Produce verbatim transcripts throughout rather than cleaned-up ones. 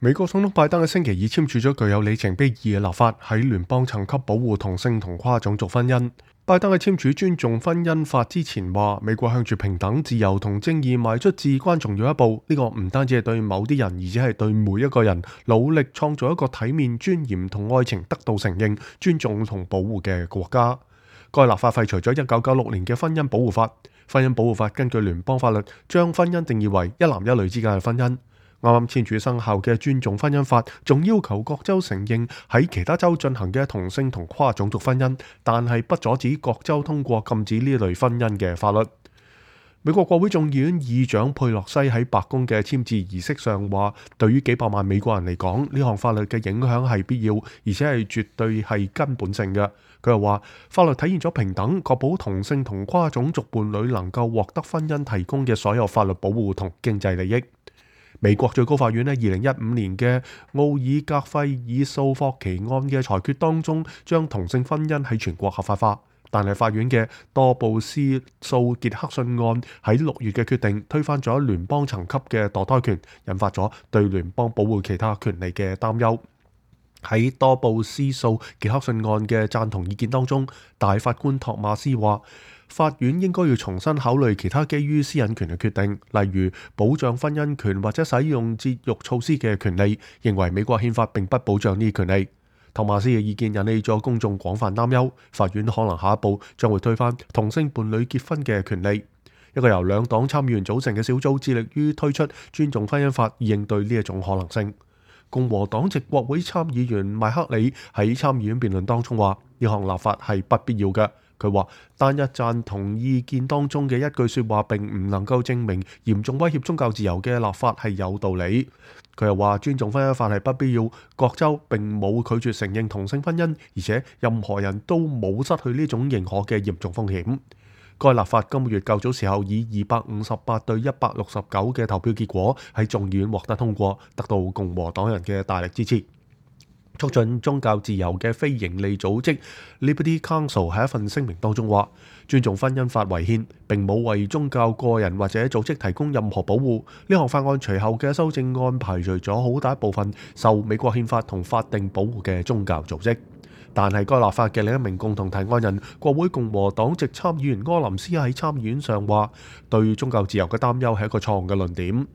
美國總統拜登喺星期二簽署咗具有里程碑意義嘅立法，喺聯邦層級保護同性同跨種族婚姻。拜登喺簽署尊重婚姻法之前話，美國向住平等、自由同正義邁出至關重要一步。呢個唔單止係對某啲人，而且係對每一個人努力創造一個體面、尊嚴同愛情得到承認、尊重同保護嘅國家。該立法廢除咗一九九六年嘅婚姻保護法。婚姻保護法根據聯邦法律，將婚姻定義為一男一女之間嘅婚姻。啱啱簽署生效嘅尊重婚姻法，仲要求各州承認喺其他州進行嘅同性同跨種族婚姻，但係不阻止各州通過禁止呢類婚姻嘅法律。美國國會眾議院議長佩洛西喺白宮嘅簽字儀式上話，對於幾百萬美國人嚟講，呢項法律嘅影響係必要，而且係絕對係根本性嘅。佢又話，法律體現咗平等，確保同性同跨種族伴侶能夠獲得婚姻提供嘅所有法律保護同經濟利益。美國最高法院喺二零一五年嘅奧爾格費爾訴霍奇案嘅裁決當中，將同性婚姻喺全國合法化。但係法院嘅多布斯訴傑克遜案喺六月嘅決定，推翻咗聯邦層級嘅墮胎權，引發咗對聯邦保護其他權利嘅擔憂。喺多布斯訴傑克遜案嘅贊同意見當中，大法官托馬斯話，法院應該要重新考慮其他基於私隱權嘅決定，例如保障婚姻權或者使用節育措施嘅權利，認為美國憲法並不保障呢啲權利。托馬斯嘅意見引起咗公眾廣泛擔憂，法院可能下一步將會推翻同性伴侶結婚嘅權利。一個由兩黨參議員組成嘅小組致力於推出尊重婚姻法，以應對呢一種可能性。共和黨籍國會參議員麥克里喺參議院辯論當中話，呢項立法係不必要嘅。佢話單一贊同意見當中嘅一句說話並唔能夠證明嚴重威脅宗教自由嘅立法係有道理。佢又話尊重婚姻法係不必要，各州並冇拒絕承認同性婚姻，而且任何人都冇失去呢種認可嘅嚴重風險。該立法今個月較早時候以二百五十八對一百六十九嘅投票結果喺眾議院獲得通過，得到共和黨人嘅大力支持。促進宗教自由嘅非營利組織 Liberty Counsel 喺一份聲明當中話，尊重婚姻法違憲，並冇為宗教個人或者組織提供任何保護。呢項法案隨後嘅修正案排除咗好大一部分受美國憲法同法定保護嘅宗教組織。但係該立法嘅另一名共同提案人，國會共和黨籍參議員柯林斯喺參議院上話，對宗教自由嘅擔憂係一個錯誤嘅論點。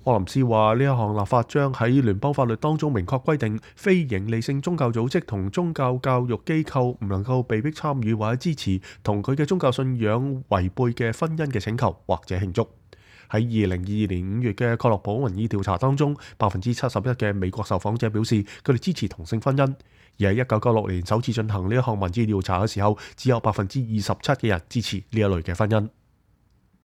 柯林斯話，呢一項立法將喺聯邦法律當中明確規定，非營利性宗教組織同宗教教育機構唔能夠被迫參與或者支持同佢嘅宗教信仰違背嘅婚姻嘅請求或者慶祝。喺二零二二年五月嘅蓋洛普民意調查當中，百分之七十一嘅美國受訪者表示佢哋支持同性婚姻，而喺一九九六年首次進行呢一項民意調查嘅時候，只有百分之二十七嘅人支持呢一類嘅婚姻。